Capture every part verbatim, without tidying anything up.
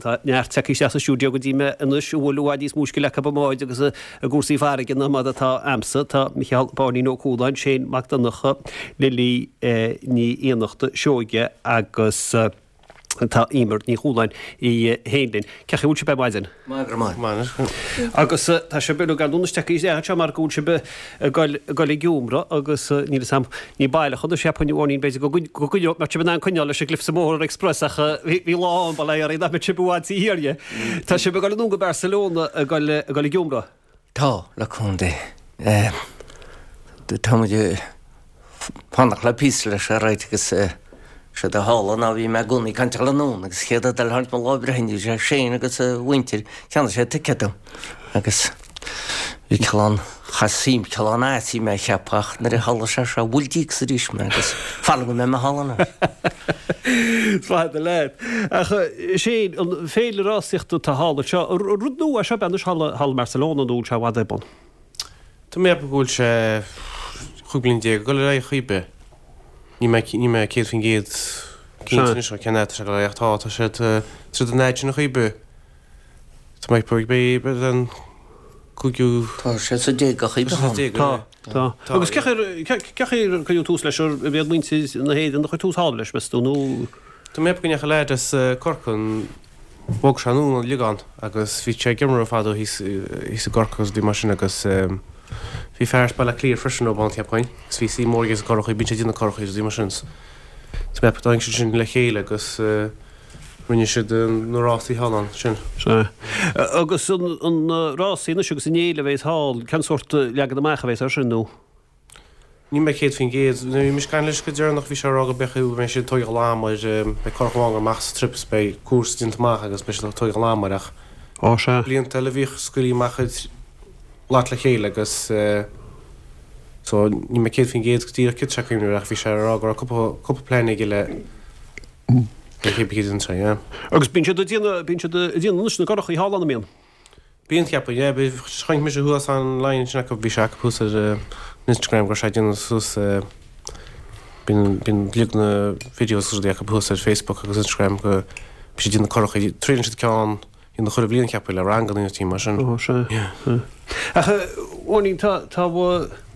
Tá neart tagtha isteach sa stiúideo go dtí mé anois a bhfuil i bhfad níos mó scil acu i mbáid agus i gcúrsaí farraige ná mar atá a'msa. Tá Micheál Báinín Ó Cualáin, Shane Mac Donncha, Lily Ní Fhiannachta Seoige agus tá Emer Ní Chualáin í féin linn. Cén chaoi a bhfuil sibh ar maidin? Maith go maith. Maith. Agus tá sibh uilig ar ndóigh isteach isteach anseo mar go bhfuil sibh ag goil ag goil ag iomradh agus níl fhios a'm ní baileach anois cheapfainn Bháinín b'fhéidir go go go mbeadh sibh in ann coinneáil leis an gCliffs of Moher Express ach bhí bhí lá ann bail ó Dhia oraibh nach mbeadh sibh i bhfad taobh thiar dhe. Tá sibh ag goil anonn go Barcelona ag goil ag goil ag iomradh? Tá, le cúnamh Dé. Tá muid ag fanacht le píosa leis ar aghaidh agus séard a tharla ná bhí mé i gcónaí ag caint ag dul anonn agus chéad rud eile tháinig mo lá breithe bhí sé Shane agus a mhuintir cheannaigh sé ticéad dom agus bhí cineál cha suim cineál ait mé a cheapadh ach nuair a tharla sé seo bhuail díocas arís mé agus fara go mbeidh mé thall anois. Is maith leat. Ach Shane, an féile rásaíochta atá thall anseo, rud nua é seo ab ea anois thall thall i mBarcelona nó bhfuil sé i bhfad ar bun? Tá mé ag ceapadh go bhfuil sé chúig bliana déag ag dul ar aghaidh chaoi ar bith. Níl mé níl mé céad faoin gcéad cinnte anois cén fhad atá sé ag dul ar aghaidh ach tá tá sé tá siad an fhad sin chaoi ar bith. Tá mé ag ceapadh beidh beidh an cúigiú Tá sé sa déag a chaoi Tá sé sa déag Tá, tá. Agus cén chaoi cén chaoi ar cuireadh tús leis ar b'iad muintir na hÉireann a chuir tús thall leis meas tú nó Tá mé ag ceapadh go ndeachaigh leaid as Corcaigh an bhog sé anonn ón Liagán agus bhí sé ag iomramh fadó thíos thíos i gCorcaigh agus rudaí mar sin agus bhí fear as Baile Átha Cliath freisin ó ann cheapfainn agus bhí suim mór aige sna currachaí, bíonn sé ag déanamh currachaí agus rudaí mar sin. Tá mé ag ceapadh tháinig siad sin le chéile agus rinne siad na rásaí thall ansin. Sea. Agus an an rásaí anois agus an fhéile a bheas thall, cén sórt leagan amach a bheas air sin nó? Níl mé céad faoin gcéad. Nuair a bhí mise ag caint leis go deireanach bhí sé ag rá go mbeadh go mbeidh siad ag tógáil am air, beidh curach amháin ag dul amach sa trip is beidh cúrsa déanta amach agus beidh siad ag tógáil am air ach Ó sea. blianta eile bhíodh scaoiltí amach iad lot le chéile agus so níl mé céad faoin gcéad go díreach céard atá sé ag cuimhneamh air ach bhí sé ag rá go raibh cúpla cúpla plean aige le le cé bith céard a yeah. Agus bíonn siad ag déanamh bíonn siad ag déanamh anois na gcurachaí thall ann an mbíonn? Bíonn, cheapfainn, yeah. Bhí, chonaic mise thuas online ansin acu, bhí sé acu thuas ar an Instagram go raibh sé ag déanamh suas, bíonn, bíonn uilig na videos agus rudaí acu thuas ar Facebook agus Instagram go, bhí siad ag déanamh curachaí, triaileann siad ceann, dhéanamh chuile bhliain cheapfainn le ranganna nó mar sin. Ó, sea, Yeah. sea. Ach, Bháinín, tá, tá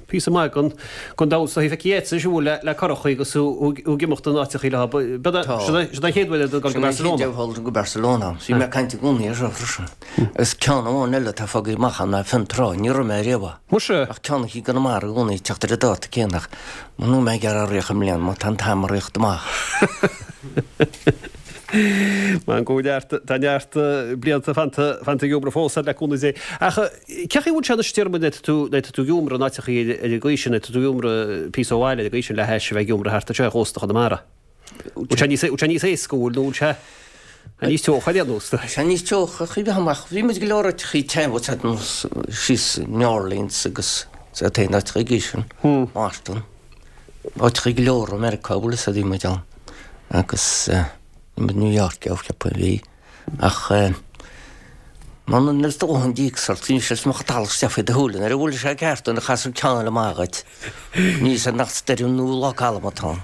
píosa maith den, den domhan is dóichí feicthe agatsa anois an bhfuil le, le curachaí agus thú, thú ag imeacht in áiteachaí leo. B'fhéidir, Tá. sin é, sin é an chéad uair a dul go Sin é an chéad Barcelona. uair dul go Barcelona. Bhí mé ag caint i gcónaí air seo freisin. Agus ceann amháin eile atá fágtha amach ann ná Fionntrá, ní raibh mé ariamh ann. Muise! Ach ceann i gConamara i gcónaí ag teacht ar an dáta céanna ach níl mé ag iarraidh rith i mbliana má tá an t-am ag rith amach. Mar go neart, tá neart blianta fanta, fanta ag iomramh fós le cúnamh Dé. Ach cén chaoi a bhfuil sé anois déarfaidh muid nuair atá tú, nuair atá tú ag iomramh in áiteachaí ar an gcaoi sin, nuair atá tú ag iomramh píosa ó bhaile ar an gcaoi sin le hais a bheith ag iomramh thart anseo ar chósta Chonamara. Bhfuil sé níos, bhfuil sé níos éasca, bhfuil, nó bhfuil sé níos teocha ar aon nós? Tá sé níos teocha, chaoi bheith amach. Bhí muid go leor áiteachaí te, bhfuil sé nós síos New Orleans agus sa taobh áiteachaí gí sin, Boston. Áiteachaí go leor i Meiriceá, bhfuil fhios a'd, bhí muid ann. Agus bhí muid New York, yeah, cheapfainn bhí. Ach muna raibh dóthain díocas ort, bhí sé is mbeadh an talamh isteach faoi do shúile nuair a bhuail sé ceart nuair a chas an ceann eile amach dhuit. Ní fhios a'd nach stoirm nó lá calm atá ann.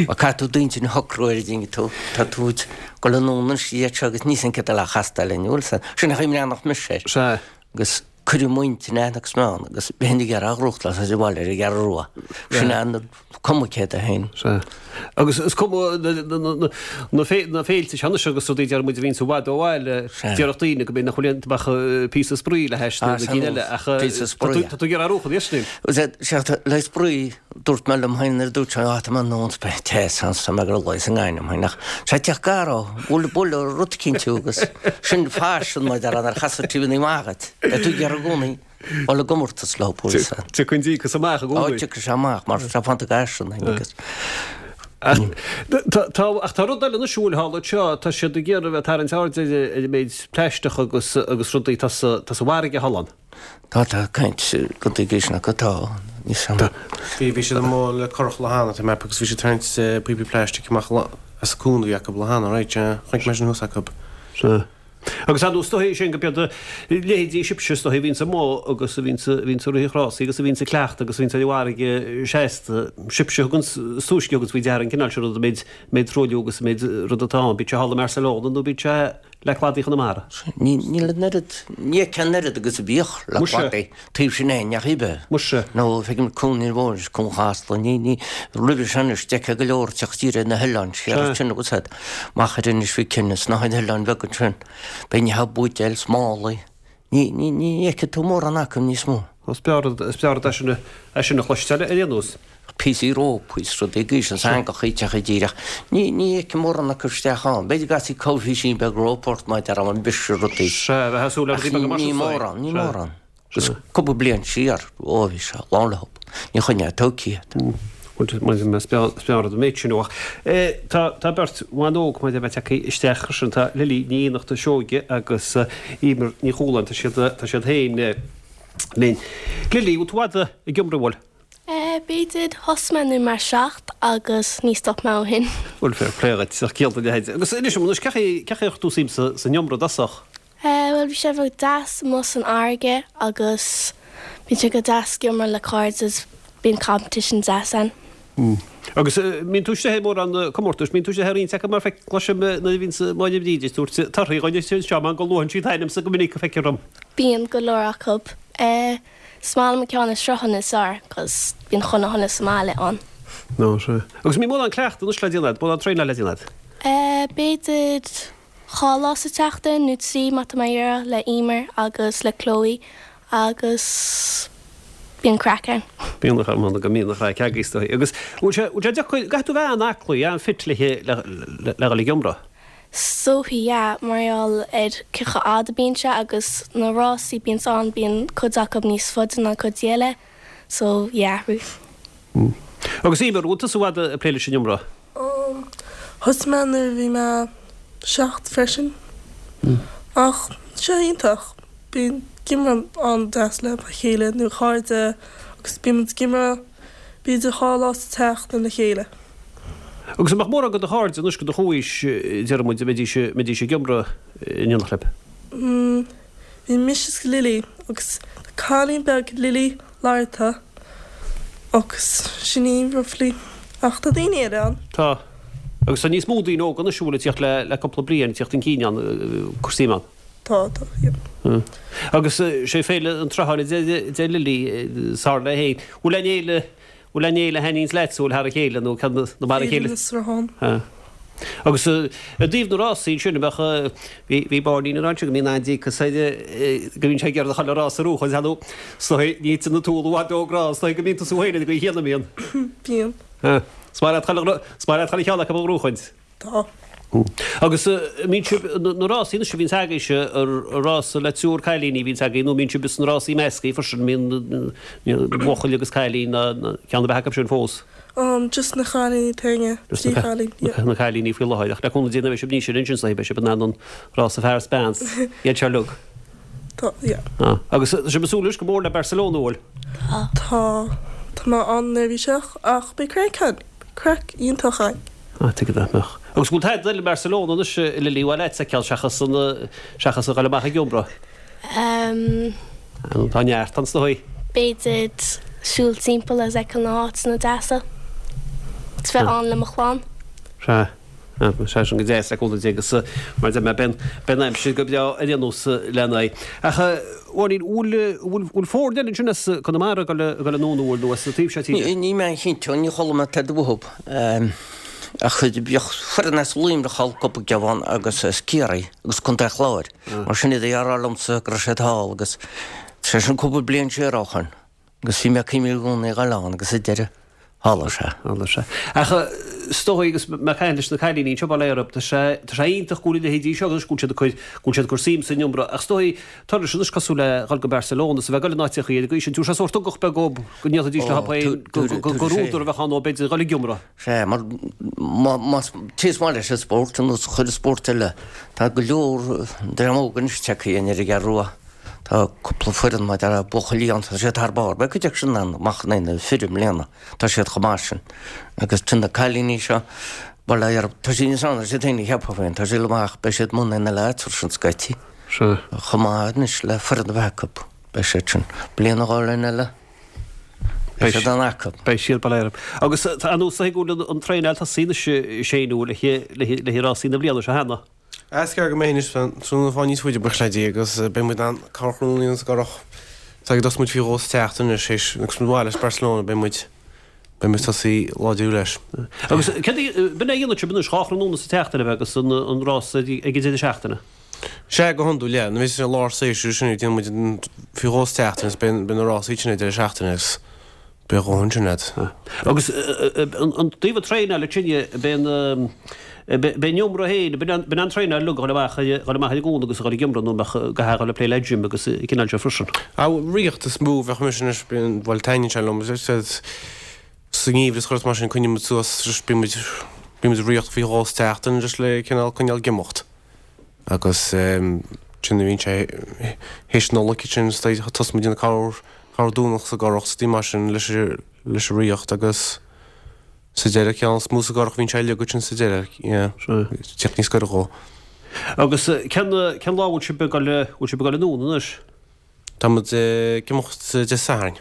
Má caithfidh tú d'intinn a shocrú ar a dtuigeann tú, tá tú ag dul anonn anois iad seo agus ní fhios a'm céard eile a chastáil linn, bhfuil 'fhios a'd. Sin an chaoi a mbreathnódh mise air. Sea. Agus cuireadh m'intinn aithne agus meon agus bheinn ag iarraidh a ghnóthachtáil sa bhaile ar an gCeathrú Rua. Sin é an cuma céard é féin. Sea. Agus is cuma na féilte seo anois agus rudaí deir muid a bhíonns i bhfad ó bhaile, déarfadh daoine go mb'fhéidir nach bhfuil aon ach píosa spraoi le hais na gcinn eile ach tá tú ag iarraidh a ghnóthachtáil anois. Sea, le spraoi Dúirt mé liom féin nuair a dúirt sé, Á, tá mé anonn 's beidh teas ann 's tá mé ag rá is i ngainm féin ach sé teach gar ó, buail buail rud eicínt thú agus sin faisean mar a déarfá nuair a chastar trí mhí amach duit. Beidh tú ag iarraidh i gcónaí dul i gcomórtas leo bhuel sea. Tiocfaidh an díocas amach i gcónaí. Á, tiocfaidh sé amach mar tá fanta faisean féin agus. Ach tá ach tá rud eile anois a bhfuil thall anseo, tá siad ag iarraidh a bheith ag tarraingt aird ar ar an méid plaisteach agus agus rudaí atá sa atá sa bhfarraige thall ann. Tá, tá caint go dtuigfidh sin acu, tá, níos Tá. Bhí, bhí siad amuigh le curach lá cheana, tá mé ag ceapadh, agus bhí siad ag tarraingt píopaí plaistic amach as an cuan a bhí acu lá cheana, right, yeah, chonaic mé sin thuas acu. Sea. Agus ar ndóigh, is dóichí sin go b'iad leithéidí sibhse, is dóichí, a bhíonns amuigh agus a bhíonns, a bhíonns ag rith an chrásaí agus a bhíonns ag cleachtadh agus a bhíonns ar an bhfarraige seasta, sibhse a thuganns, is túisce a thuganns faoi deara an cineál sin rud, an méid, méid truailliú agus an méid rud atá ann, bíodh sé thall i mBarcelona nó bíodh sé le cladaí Chonamara. Níl an oiread, ní fheicfeá an oiread agus a bhíodh le cladaí taobh sin é, neach ar bith. Muise. Nó feicim Cuan an Mhóir, Cuan Chasla, ní, ní, roimhe sin anois, d'fheicfeá go leor teacht siar ar na hoileáin, siar ansin agus iad, amach ar Inis Mhic Cionnaith, sna hoileáin bheaga ansin, beidh neach buidéil 's málaí, ní, ní, ní fheicfidh tú mórán acu níos mó. Is breá rud, is breá rud é sin a, é sin a chloisteáil ar aon nós. Píosaí rópa is rudaí gaois an eangach ag teacht i dtír ach ní, ní fheicim mórán acu isteach ann. B'fhéidir go gcasfaí coimhthísín beag rópa ort má deir an bise rudaí. Sea, bheith ag súil le Ach rudaí beaga mar ní sin, mórán, ní sea. mórán. Agus cúpla bliain siar, ó bhí sé lán leo. Ní choinneoidh tú iad. Bhuel, is breá, is breá rud an méid sin ach eh, tá, tá beirt bhan óg mar a bheith tagtha isteach sin, tá Lily Ní Fhiannachta Seoige agus eh, Emer Ní Chualáin, tá siad, tá siad féin eh, linn. Lily, bhfuil tú fada ag iomramh, bhfuil? B'fhéidir thosaigh mé nuair mé seacht agus ní stop mé ó shin. Bhuel, fair play dhuit, ach ciall do leithéid. Agus inis dom anois, cén chaoi, cén chaoi ar chuir tú suim sa, san iomramh i dtosach? Bhuel, bhí sé bheag deas amuigh san fharraige agus bíonn sé go deas ag iomramh le cairde is bíonn competition deas ann. Agus mbíonn tú istigh i mórán comórtais, mbíonn tú istigh i roinnt acu mar feic, cloisim nuair a bhíonns Máire Bríde ag tabhairt torthaí dhuine anseo, mar go luann sí t'ainmse go minic a feictear dom. Bíonn go leor acu. Is maith liom an ceann is sruthanna is fearr cos bíonn chuile dhuine sa mbaile ann. No, sea. Agus mbíonn mórán cleachtadh anois le déanamh agat, mórán traenáil le déanamh agat? Eh, b'fhéidir dhá lá sa tseachtain nó trí má tá mé ag iarraidh le Emer agus le Chloe agus bíonn craic ann. Bíonn a chur go mbíonn a chraic agaibh is dóigh. Agus bhfuil sé, bhfuil sé deacair, caithfidh tú bheith an-aclaí, an-fit le, le, le, le dhul ag iomramh? Is dóichí, yeah, mar gheall ar cé chomh fada a bíonn sé agus na rásaí bíonns ann bíonn cuid acu níos faide ná cuid eile so yeah, Ruth. Agus Emer, bhfuil tusa i bhfad ag plé leis an iomramh? Um, thosaigh mé nuair a bhí mé seacht freisin. Ach sé iontach, bíonn iomramh an-deas le mo chéile nó cairde agus bíonn muid ag iomramh b'fhéidir dhá lá sa tseachtain le chéile. Agus an mbeadh mórán de do chairde anois de do chomhaois, deir muid, a mbeidís, mbeidís ag iomramh in éineacht libh? Mm, bhí mise is Lily agus cailín beag Lily Larta agus sin í roughly ach tá daoine eile ann. Tá. Agus tá níos mó daoine óga anois a bhfuil ag tíocht le, le cúpla bliain, ag tíocht chun cinn ann, cur suim ann. Tá, tá, yeah. Agus sé Féile an tSrutháin a deir, deir Lily, sár léi féin. Bhfuil aon fhéile, bhfuil aon fhéile a thaitníonns leat, bhfuil thar a chéile nó ceann nó mar a Féile chéile? na Sruthán. Ha. Agus i dtaobh na rásaí ansin, a bheadh, bhí, bhí Barney ag ráit go mbíonn an-díocas air, go mbíonn sé ag iarraidh a dhul ar rás a bhuachaint, ar ndóigh, is dóigh, ní thiteann an t-úll i bhfad ón gcrann, is dóigh go mbíonn tusa féin ar an gcaoi chéanna, mbíonn? Bíonn. Ha. Is maith leat chuile, is maith leat chuile cheann acu a ghnóchaint. Tá. Agus mbíonn sibh, na rásaí anois a bhíonns agaibhse, rása le triúr cailíní a bhíonns agaibh nó mbíonn sibh sna rásaí measctha freisin, mbíonn buachaill agus cailín ná ceann ar bith acu sin fós? Um, just na cailíní féin, trí chailín, yeah. Na cailíní faoi láthair, ach le cúnamh Dé nuair a bheidh sibh níos sine ansin is dóigh beidh sibh in ann an rása fear is bean, iad seo uilig. Tá, yeah. Ah, agus tá sibh ag súil anois go mór le Barcelona, an bhfuil? Tá, tá mé an-neirbhíseach ach beidh craic ann, craic iontach ann. Ah, tuige nach mbeadh. Agus bhfuil tada eile i mBarcelona anois, a Lily, a mhaith leat a fheiceáil seachas an, seachas a dhul amach ag iomramh? Um. Tá neart ann is dóigh. B'fhéidir siúl timpeall agus fheiceáil na háiteanna deasa. Is bheith ann le mo chlann. Sea. Sea, sin go deas le cúnamh Dé agus mar a deir mé beidh, beidh an aimsir go breá ar aon nós lena aghaidh. Ach a Mháirín, bhfuil, bhfuil, bhfuil foirne eile ansin as Conamara ag dul, ag dul anonn, an bhfuil, nó as an taobh seo tíre? Níl mé an-chinnte, ní chuala mé tada uathub. Ach bhíodh foireann as Luimneach thall cúpla geamhan agus as Ciarraí agus Contae an Chláir. Mar sin iad a dheartháir liomsa go raibh siad thall agus sé sin cúpla bliain siar ó shoin. Agus bhí mé ag cuimhniú i gcónaí a dhul ann agus sa deireadh tharla sé. Tharla sé. Ach is dóigh agus mé ag caint leis na cailíní anseo bail ó Dhia orthu, tá sé, tá sé iontach go bhfuil a leithéidí seo anois, go bhfuil siad ag cur, go bhfuil siad ag cur suim san iomramh. Ach is dóigh, turais anois cosúil le dhul go Barcelona is a bheith ag dul in áiteachaí ar an gcaoi sin, tabharfaidh sé sórt ugach beag dóibh go ndéanfaidís leo féin, gur údar a bheadh ann dóibh b'fhéidir dhul ag iomramh. Sea, mar má, más, té is maith leis an spórt, ar nós chuile spórt eile, tá go leor dream óg anois tagtha ar an gCeathrú Rua. Tá cúpla foireann mar a déarfá buachaillí ann, tá siad thar barr. Beidh cuid acu sin ann amach in aghaidh na fir i mbliana, tá siad chomh maith sin. Agus tá na cailíní seo, bail ó Dhia orthu, tá siad níos fearr ná siad féin a cheapfá féin, tá siad amach, beidh siad amuigh in aghaidh na leaids freisin scaití. Sea. Chomh maith anois le foireann a bheith acu, beidh siad sin. Bliain nó dhó eile, beidh siad ann acu. Beidh siad, bail ó Dhia orthu. Agus tá an nós go bhfuil an traenáil tosaithe anois, a Shane, le haghaidh rásaí na bliana seo cheana. Is gearr go mbeidh anois, tráthnóna fá níos faide buíochas le Dia agus beidh muid in ann corrthráthnóna a dhéanamh sa gCurrach. Tá ag dul muid faoi dhó sa tseachtain anois théis agus muid abhaile as Barcelona beidh muid beidh muid tosaí láidriú leis. Agus céard a b'in é a dhéanann sibh anois dhá thráthnóna sa tseachtain a bheith agus an an rás ag an deireadh seachtaine? Sea go hiondúil yeah nuair a bhíos sé lár séasúir sin déanann muid an faoi dhó sa tseachtain agus beidh beidh na rásaí sin ag deireadh seachtaine agus beidh a dhóthain sin agat. Agus an taobh traenála sin b'in b'in iomra féin, b'in an traenáil uilig a dhul amach dhul amach ar an gcuan agus a dhul ag iomradh nó mbeadh go hea dhul ag plé le gym agus an cineál seo freisin. Á, rith is mó bheadh mise anois, bíonn, bhuel taitníonn sé liom, sa ngeimhreadh is chuireas mar sin coinníonn muid suas, bíonn muid, bíonn muid ag rith faoi dhó sa tseachtain just le cineál coinneáil ag imeacht. Agus sin a bhíonn sé théis Nollag sin tosaíonn muid ag déanamh corr Domhnach sa gCurrach is mar sin leis leis an rith agus sa deireadh ceann is mó sa gCurrach bhíonn sé uilig ansin sa deireadh yeah teacht níos gaire dhó. Agus cén cén lá bhfuil sibh ag dul bhfuil sibh ag dul anonn anois? Tá muid ag imeacht Dé Sathairn.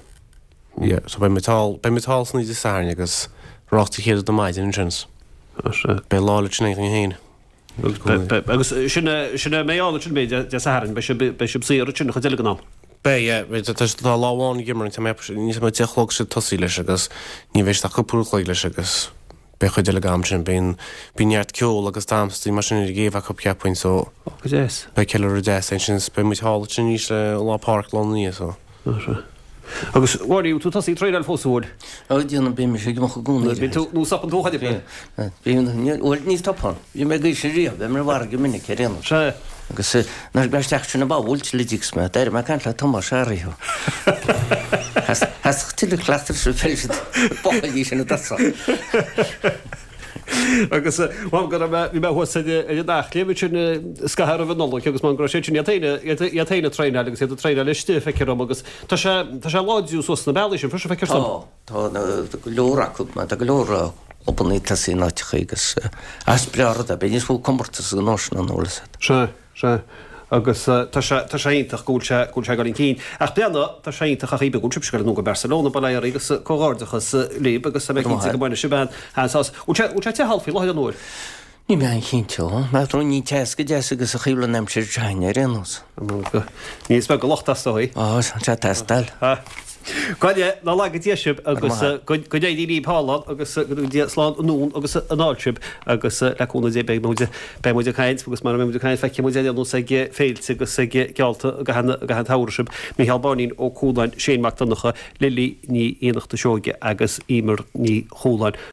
Yeah so beidh muid thall beidh muid thall san oíche Dé Sathairn agus rás Dé Céadaoin ar maidin ansin. Beidh lá le sin againn féin. Agus sin sin a mbeidh ann ansin beidh Dé Sathairn beidh sibh beidh sibh saor ansin an chuid eile den am. Beidh, yeah. Beidh, tá tá lá amháin ag imirt, tá mé níos mó deich a chlog siad tosaí leis agus ní bheidh siad ach cúpla uair a chloig leis agus beidh chuid eile den am sin, bíonn bíonn neart ceol agus damhsaí mar sin ar an gcéibh acu cheapfainn so Ó go deas. beidh ceiliúradh deas ansin is beidh muid thall ansin arís le Lá Pádraig lá ina dhiaidh so. Sea. Agus Mháirín, tú tosaithe ag traenáil fós, an bhfuil? Ó déanaim, bím ag imeacht i gcónaí. Bíonn tú, nó stopann tú chun oibre? Bím, bhuel ní stopann. Bhí mé ag aois an riamh, bhí mé ar an bhfarraige minic ar aon nós. Sea. Agus nuair a bhí isteach sin a ba bhuailte le Dix mé, d'éirigh mé ag caint le Tomás Ariho. Theastaigh tuilleadh cleachtaidh sa pheil siad buachaillí sin i dtosach. Agus mham go raibh mé, bhí mé thuas ar an Eachléim ansin scaitheamh roimh an Nollaig agus mham go raibh siad sin iad féin, iad féin ag traenáil agus iad ag traenáil istigh, feictear dom agus tá sé, tá sé láidriú suas sna bealaí sin freisin, feictear dom. Tá, tá go leor acu, tá go leor clubanna ag tosaí in áiteacha agus is breá rud é, beidh níos mó comórtas ag an nóis ná an eolas agat. Sea, sea. Agus tá sé, tá sé iontach go bhfuil sé, go bhfuil sé ag dul chun cinn. Ach breathnaigh, tá sé iontach ach go bhfuil sibhse ag dul anonn go Barcelona, bail ó Dhia oraibh agus comhghairdeachas libh agus tá mé cinnte go mbainfidh sibh an-sásamh. Bhfuil sé, bhfuil sé te thall faoi láthair an bhfuil? Níl mé an-chinnte. Má tá ní te go deas agus a chaoil an aimsir seo ar aon nós. Ní is beag an locht as dóigh. Á, tá sé ag teastáil. Go Nach laga Dia sibh agus go n-éirí libh thall ann agus go dtuga Dia slán anonn agus anall sibh agus le cúnamh Dé beidh muid beidh muid ag caint agus mara mbeidh muid ag caint feicfidh muid ar aon nós ag féilte agus ag geallta i gcaitheamh i gcaitheamh an tsamhraidh sibh. Mícheál Báinín Ó Cualáin, Shane Mac Donncha, Lily Ní Fhiannachta Seoige agus Emer Ní Chualáin.